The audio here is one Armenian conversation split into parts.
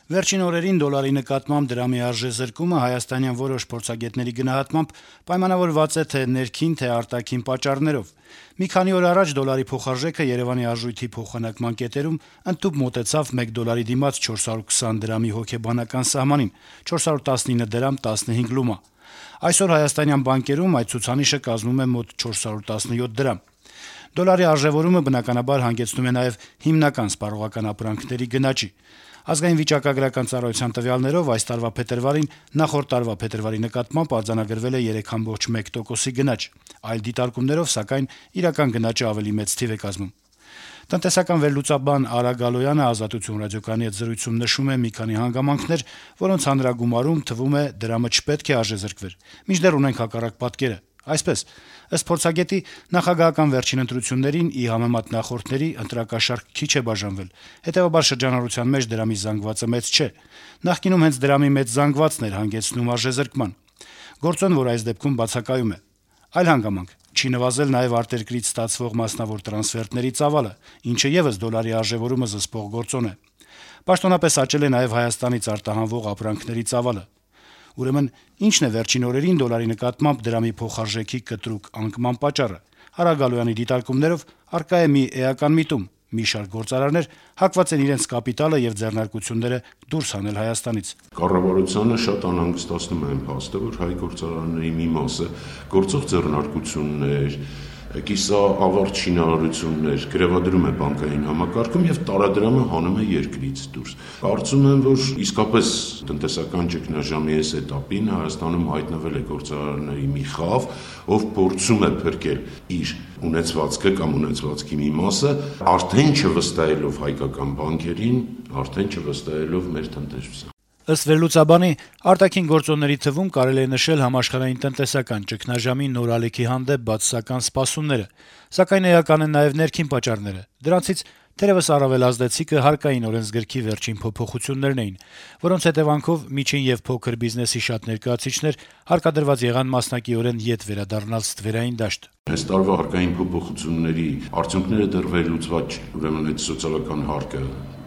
Վերջին օրերին դոլարի նկատմամբ դրամի արժեզրկումը հայաստանյան որոշ փորձագետների գնահատմամբ պայմանավորված է թե ներքին, թե արտաքին պատճառներով։ Մի քանի օր առաջ դոլարի փոխարժեքը Երեւանի արժույթի փոխանակման կետերում ընդտուփ մոտեցավ 1 դոլարի դիմաց 420 դրամի հոգեբանական սահմանին՝ 419 դրամ 15 լումա։ Այսօր հայաստանյան բանկերում այդ ցուցանիշը կազմում է մոտ 417 դրամ։ Դոլարի արժեվորումը բնականաբար հանգեցնում է նաև հիմնական սպառողական ապրանքների գնաճի։ Ազգային վիճակագրական ծառայության տվյալներով այս տարվա փետրվարին նախորդ տարվա փետրվարի նկատմամբ արձանագրվել է 3.1%-ի գնաճ։ Այլ դիտարկումներով, սակայն, իրական գնաճը ավելի մեծ թիվ է կազմում։ Տնտեսական վերլուծաբան Արա Գալոյանը «Ազատություն» ռադիոկայանի հետ զրույցում նշում է մի քանի հանգամանքներ, որոնց հանրագումարում թվում է դրամը չպետք է արժեզրկվեր։ Մինչդեռ ունենք հակառակ պատկերը։ Այսպես, ըստ փորձագետի, նախագահական վերջին ընտրություններին ի համեմատ նախորդների ընտրակաշառք քիչ է բաժանվել, հետեւաբար շրջանառության մեջ դրամի զանգվածը մեծ չէ։ Նախկինում հենց դրամի մեծ զանգվածն էր հանգեցնում արժեզրկման։ Գործոն, որ այս դեպքում բացակայում է։ Այլ հանգամանք՝ չի նվազել նաև արտերկրից ստացվող մասնավոր տրանսֆերտների ծավալը, ինչը եւս դոլարի արժեվորումը զսպող գործոն է։ Պաշտոնապես աճել է նաև Հայաստանից արտահանվող ապրանքների ծավալը։ Ուրեմն, ի՞նչն է վերջին օրերին դոլարի նկատմամբ դրամի փոխարժեքի կտրուկ անկման պատճառը։ Արա Գալոյանի դիտարկումներով առկա է մի էական միտում՝ մի շարք գործարարներ հակված են իրենց կապիտալը եւ ձեռնարկությունները դուրս հանել Հայաստանից։ Կառավարությանը շատ անհանգստացնում է այն փաստը, որ հայ գործարարների մի մասը գործող ձեռնարկություններ, կիսաավարտ շինարարություններ գրևադրում է բանկային համակարգում եւ տարադրամը հանում է երկրից դուրս։ Կարծում եմ, որ իսկապես տնտեսական ճգնաժամի այս էտապին Հայաստանում հայտնվել է գործարարների մի խավ, ով փորձում է փրկել իր ունեցվածքը կամ ունեցվածքի մի մասը, արդեն չվստահելով հայկական բանկերին, արդեն չվստահելով մեր տնտեսությանը։ Ըստ վերլուծաբանի, արտաքին գործոնների թվում կարելի է նշել համաշխարհային տնտեսական ճգնաժամի նոր ալիքի հանդեպ բացասական սպասումները, սակայն էական են նաև ներքին պատճառները։ Դրանցից թերևս առավել ազդեցիկը հարկային օրենսգրքի վերջին փոփոխություններն էին, որոնց հետևանքով միջին եւ փոքր բիզնեսի շատ ներկայացուցիչներ հարկադրված եղան մասնակիորեն ետ վերադառնալ ստվերային դաշտ։ Այս տարվա հարկային փոփոխությունների արդյունքները դեռ վերլուծված չեն, ուրեմն այդ սոցիալական հարկը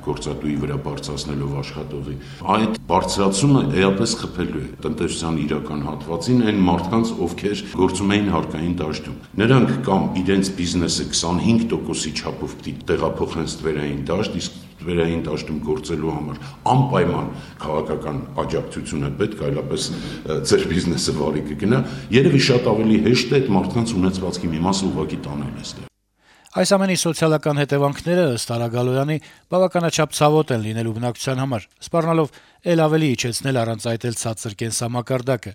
գործատուի վրա բարձրացնելով աշխատողի, այդ բարձրացումը էապես խփելու է տնտեսության իրական հատվածին այն մարդկանց, ովքեր գործում էին հարկային դաշտում։ Նրանք կամ իրենց բիզնեսը 25%-ի չափով պիտի տեղափոխեն ստվերային դաշտ, իսկ ստվերային դաշտում գործելու համար անպայման քաղաքական աջակցություն է պետք, այլապես ձեր բիզնեսը վարի կգնա, երևի շատ ավելի հեշտ է այդ մարդկանց ունեցվածքի մի մասը ուղղակի տանել այստեղ։ Այս ամենի սոցիալական հետևանքները, ըստ Արա Գալոյանի, բավականաչափ ցավոտ են լինելու բնակչության համար, սպառնալով ել ավելի իջեցնել առանց այդ էլ ցածր կենսամակարդակը։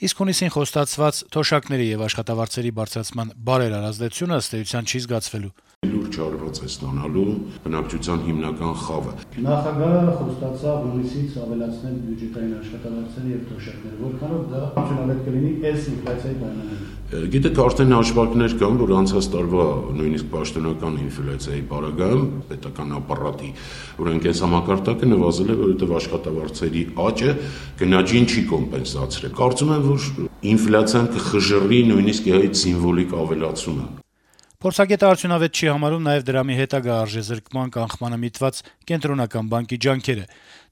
Իսկ հունիսին խոստացված թոշակների եւ աշխատավարձերի բարձրացման բարերար ազդեցությունը ըստ էության չի զգացվելու։ Լուրջ հարված է ստանալու բնակչության հիմնական խավը։ Նախագահը խոստացավ հունիսից ավելացնել բյուջետային աշխատավարձերը եւ թոշակները, որքանով դա արդյունավետ կլինի այս ինֆլյացիայի պայմաններում։ Գիտեք, արդեն հաշվարկներ կան, որ անցած տարվա նույնիսկ պաշտոնական ինֆլյացիայի պարագայում պետական ապարատի ուրեմն կենսամակարդակը նվազել է, որովհետեւ աշխատավարձերի աճը գնաճին չի կոմպենսացրել։ Կարծում եմ, որ ինֆլյացիան կխժռի նույնիսկ այդ սիմվոլիկ ավելացումը։ Փորձագետը արդյունավետ չի համարում նաև դրամի հետագա արժեզրկման կանխմանը միտված կենտրոնական բանկի ջանքերը։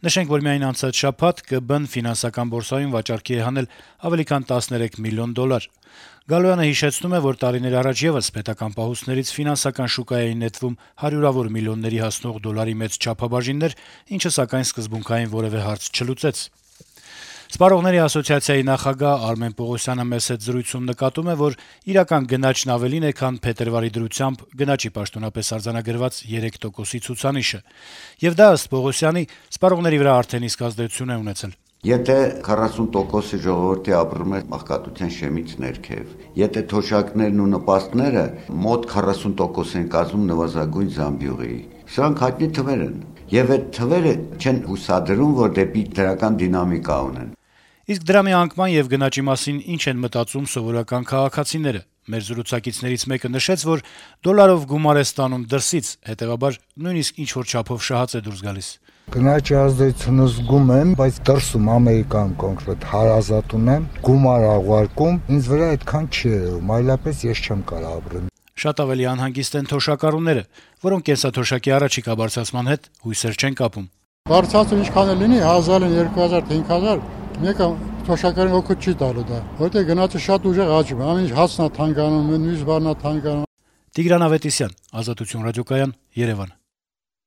Նշենք, որ միայն անցած շաբաթ ԿԲ-ն ֆինանսական բորսայում վաճառքի է հանել ավելի քան 13 միլիոն դոլար։ Գալոյանը հիշեցնում է, որ տարիներ առաջ եւս պետական պահուստներից ֆինանսական շուկային նետվում հարյուրավոր միլիոնների հասնող դոլարի մեծ չափաբաժիններ, ինչը սակայն սկզբունքային որևէ հարց չլուծեց։ Սպառողների ասոցիացիայի նախագահ Արմեն Պողոսյանը մեծ հետ զրույցում նկատում է, որ իրական գնաճն ավելին է, քան փետրվարի դրությամբ գնաճի պաշտոնապես արձանագրված 3%-ի ցուցանիշը։ Եվ դա ըստ Պողոսյանի սպառողների վրա արդեն իսկ ազդեցություն է ունեցել։ Եթե 40%-ի ժողովրդի ապրում է աղքատության շեմից ներքև, եթե թոշակներն ու նպաստները մոտ 40% են կազմում նվազագույն զամբյուղի, սրանք հայտնի թվեր են, եւ այդ թվերը չեն հուսադրում, որ դեպի դրական դինամիկա ունեն։ Իսկ դրամի անկման եւ գնաճի մասին ինչ են մտածում սովորական քաղաքացիները։ Մեր զրուցակիցներից մեկը նշեց, որ դոլարով գումար է ստանում դրսից, հետեւաբար նույնիսկ ինչ որ չափով շահած է դուրս գալիս։ Գնաճի ազդեցությունը զգում եմ, բայց դրսում Ամերիկան կոնկրետ հարազատ ունեմ, գումար աղարկում, ինձ վրա այդքան չի եղում, այլապես ես չեմ կարող ապրել։ Շատ ավելի անհանգիստ են թոշակառուները, որոնք կենսաթոշակի առաջիկա բարձրացման հետ հույսեր չեն կապում։ Բարձրացում ինչքան է լինի 1000-ին 2000, 5000, մեկը թոշակարին օգուտ չի տալու դա, որտեղ գնացը շատ ուժեղ աճում, ամեն ինչ հացն է թանկանում, մյուս բանն է թանկանում։ Տիգրան Ավետիսյան, Ազատություն ռադիոկայան, Երևան։